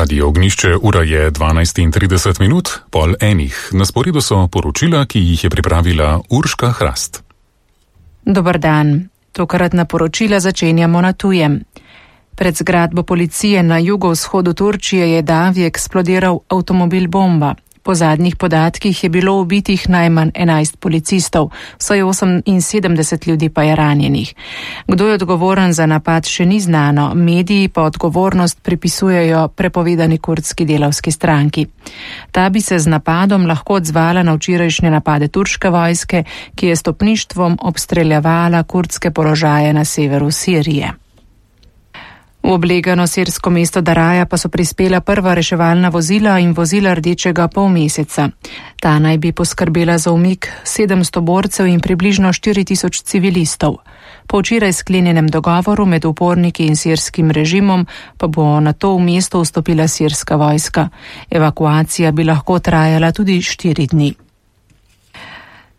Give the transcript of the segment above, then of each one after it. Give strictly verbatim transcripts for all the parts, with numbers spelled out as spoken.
Radio Ognišče, ura je dvanajst in trideset minut, pol enih. Na sporedu so poročila, ki jih je pripravila Urška Hrast. Dober dan. Tokratna poročila začenjamo na tujem. Pred zgradbo policije na jugovzhodu Turčije je davi eksplodiral avtomobil bomba. Po zadnjih podatkih je bilo ubitih najmanj enajst policistov, vsaj oseminsedemdeset ljudi pa je ranjenih. Kdo je odgovoren za napad, še ni znano, mediji pa odgovornost pripisujejo prepovedani kurdski delavski stranki. Ta bi se z napadom lahko odzvala na včerajšnje napade turške vojske, ki je stopništvom obstreljevala kurdske položaje na severu Sirije. V oblegano sirsko mesto Daraja pa so prispela prva reševalna vozila in vozila rdečega polmeseca. Ta naj bi poskrbela za umik sedemsto borcev in približno štiri tisoč civilistov. Po včeraj sklenjenem dogovoru med uporniki in sirskim režimom pa bo na to v mesto vstopila sirska vojska. Evakuacija bi lahko trajala tudi štiri dni.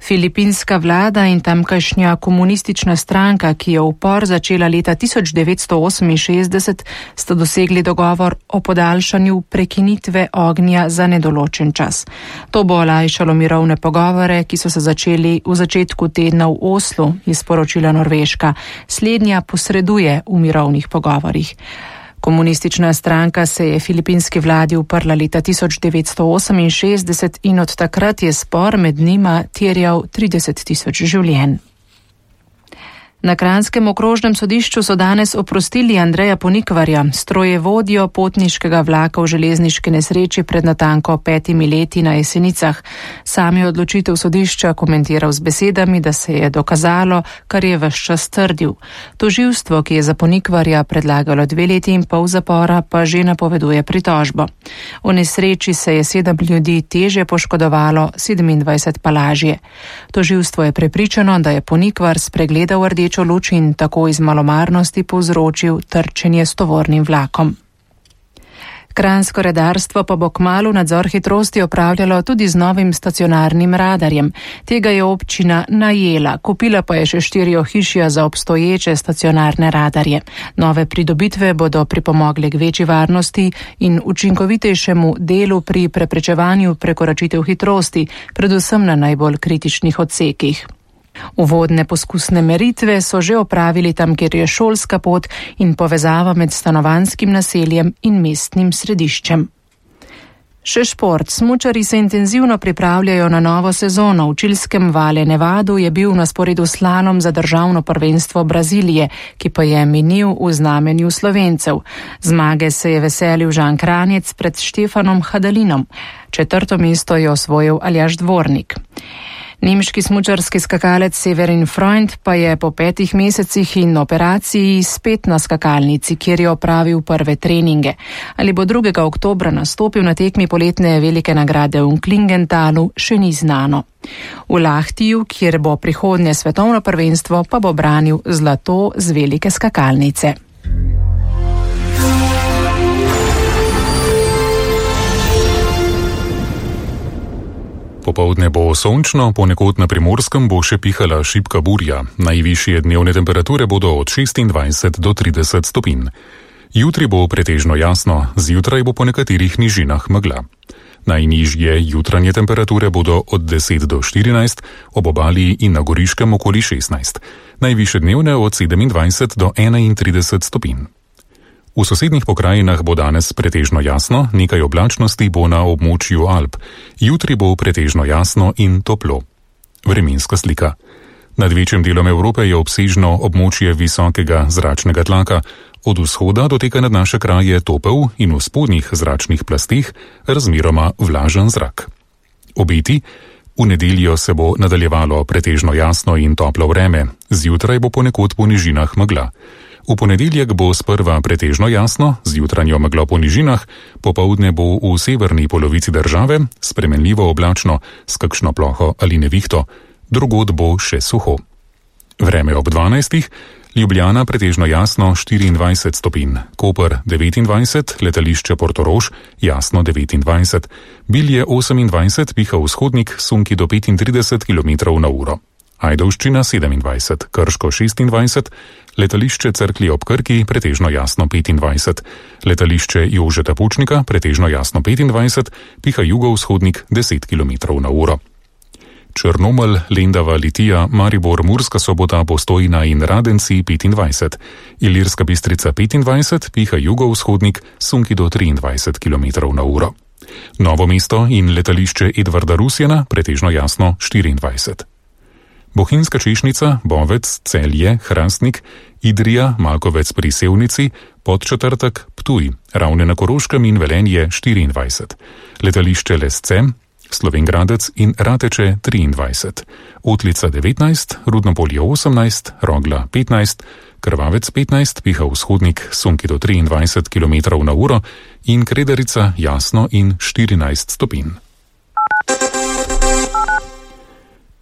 Filipinska vlada in tamkajšnja komunistična stranka, ki je upor začela leta tisoč devetsto oseminšestdeset, sta dosegli dogovor o podaljšanju prekinitve ognja za nedoločen čas. To bo olajšalo mirovne pogovore, ki so se začeli v začetku tedna v Oslu, je sporočila Norveška. Slednja posreduje v mirovnih pogovorih. Komunistična stranka se je filipinski vladi uprla leta tisoč devetsto oseminšestdeset in od takrat je spor med njima terjal trideset tisoč življenj. Na Kranjskem okrožnem sodišču so danes oprostili Andreja Ponikvarja, strojevodjo potniškega vlaka v železniški nesreči pred natanko petimi leti na Jesenicah. Sam je odločitev sodišča komentiral z besedami, da se je dokazalo, kar je ves čas trdil. Tožilstvo, ki je za Ponikvarja predlagalo dve leti in pol zapora, pa že napoveduje pritožbo. V nesreči se je sedem ljudi težje poškodovalo, sedemindvajset pa lažje. Tožilstvo je prepričano, da je Ponikvar spregledal rdečo luč in tako iz malomarnosti povzročil trčenje s tovornim vlakom. Kranjsko redarstvo pa bo kmalu nadzor hitrosti opravljalo tudi z novim stacionarnim radarjem. Tega je občina najela, kupila pa je še štiri ohišja za obstoječe stacionarne radarje. Nove pridobitve bodo pripomogle k večji varnosti in učinkovitejšemu delu pri preprečevanju prekoračitev hitrosti, predvsem na najbolj kritičnih odsekih. Uvodne poskusne meritve so že opravili tam, kjer je šolska pot in povezava med stanovanjskim naseljem in mestnim središčem. Še šport. Smučarji se intenzivno pripravljajo na novo sezono. V čilskem Valle Nevadu je bil na sporedu slalom za državno prvenstvo Brazilije, ki pa je minil v znamenju Slovencev. Zmage se je veselil Žan Kranjec pred Štefanom Hadalinom. Četrto mesto je osvojil Aljaž Dvornik. Nemški smučarski skakalec Severin Freund pa je po petih mesecih in operaciji spet na skakalnici, kjer je opravil prve treninge. Ali bo drugega oktobra nastopil na tekmi poletne velike nagrade v Klingentalu, še ni znano. V Lahtiju, kjer bo prihodnje svetovno prvenstvo, pa bo branil zlato z velike skakalnice. Popoldne bo sončno, ponekod na Primorskem bo še pihala šibka burja. Najvišje dnevne temperature bodo od šestindvajset do trideset stopinj. Jutri bo pretežno jasno, zjutraj bo po nekaterih nižinah megla. Najnižje jutranje temperature bodo od deset do štirinajst, ob obali in na Goriškem okoli šestnajst. Najvišje dnevne od sedemindvajset do enaintrideset stopinj. V sosednjih pokrajinah bo danes pretežno jasno, nekaj oblačnosti bo na območju Alp. Jutri bo pretežno jasno in toplo. Vremenska slika. Nad večjim delom Evrope je obsežno območje visokega zračnega tlaka. Od vzhoda doteka nad naše kraje topel in v spodnjih zračnih plasteh razmeroma vlažen zrak. Obeti. V nedeljo se bo nadaljevalo pretežno jasno in toplo vreme. Zjutraj bo ponekod po nižinah megla. V ponedeljek bo sprva pretežno jasno, z jutranjo meglo po nižinah, popoldne bo v severni polovici države spremenljivo oblačno s kakšno ploho ali nevihto, drugod bo še suho. Vreme ob dvanajstih, Ljubljana pretežno jasno štiriindvajset stopinj, Koper devetindvajset, letališče Portorož jasno devetindvajset, Bilje osemindvajset, piha vzhodnik, sunki do petintrideset kilometrov na uro. Ajdovščina sedemindvajset, Krško šestindvajset, letališče Cerklje ob Krki pretežno jasno petindvajset, letališče Jožeta Pučnika pretežno jasno petindvajset, piha jugovzhodnik deset kilometrov na uro. Črnomelj, Lendava, Litija, Maribor, Murska Sobota, Postojna in Radenci petindvajset, Ilirska Bistrica petindvajset, piha jugovzhodnik, sunki do triindvajset kilometrov na uro. Novo mesto in letališče Edvarda Rusjana pretežno jasno štiriindvajset. Bohinjska Češnica, Bovec, Celje, Hrastnik, Idrija, Malkovec pri Sevnici, Podčetrtek, Ptuj, Ravne na Koroškem in Velenje štiriindvajset, letališče Lesce, Slovengradec in Rateče triindvajset, Otlica devetnajst, Rudnopolje osemnajst, Rogla petnajst, Krvavec petnajst, piha vzhodnik, sunki do triindvajset kilometrov na uro in Kredarica jasno in štirinajst stopinj.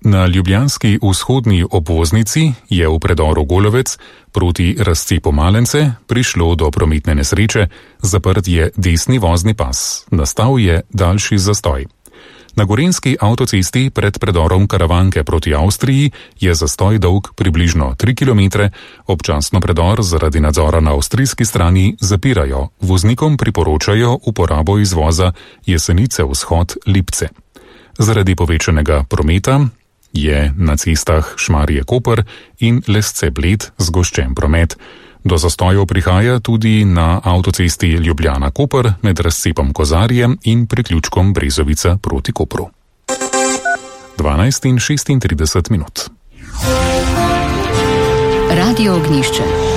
Na ljubljanski vzhodni obvoznici je v predoru Golovec proti razcepu Malence prišlo do prometne nesreče, zaprt je desni vozni pas, nastal je daljši zastoj. Na gorenjski avtocesti pred predorom Karavanke proti Avstriji je zastoj dolg približno tri kilometre, občasno predor zaradi nadzora na avstrijski strani zapirajo, voznikom priporočajo uporabo izvoza Jesenice vzhod Lipce. Zaradi povečanega prometa je na cestah Šmarje Koper in Lesce Bled zgoščen promet. Do zastojev prihaja tudi na avtocesti Ljubljana Koper med razcepom Kozarje in priključkom Brezovica proti Kopru. dvanajst in šestintrideset minut. Radio Ognjišče.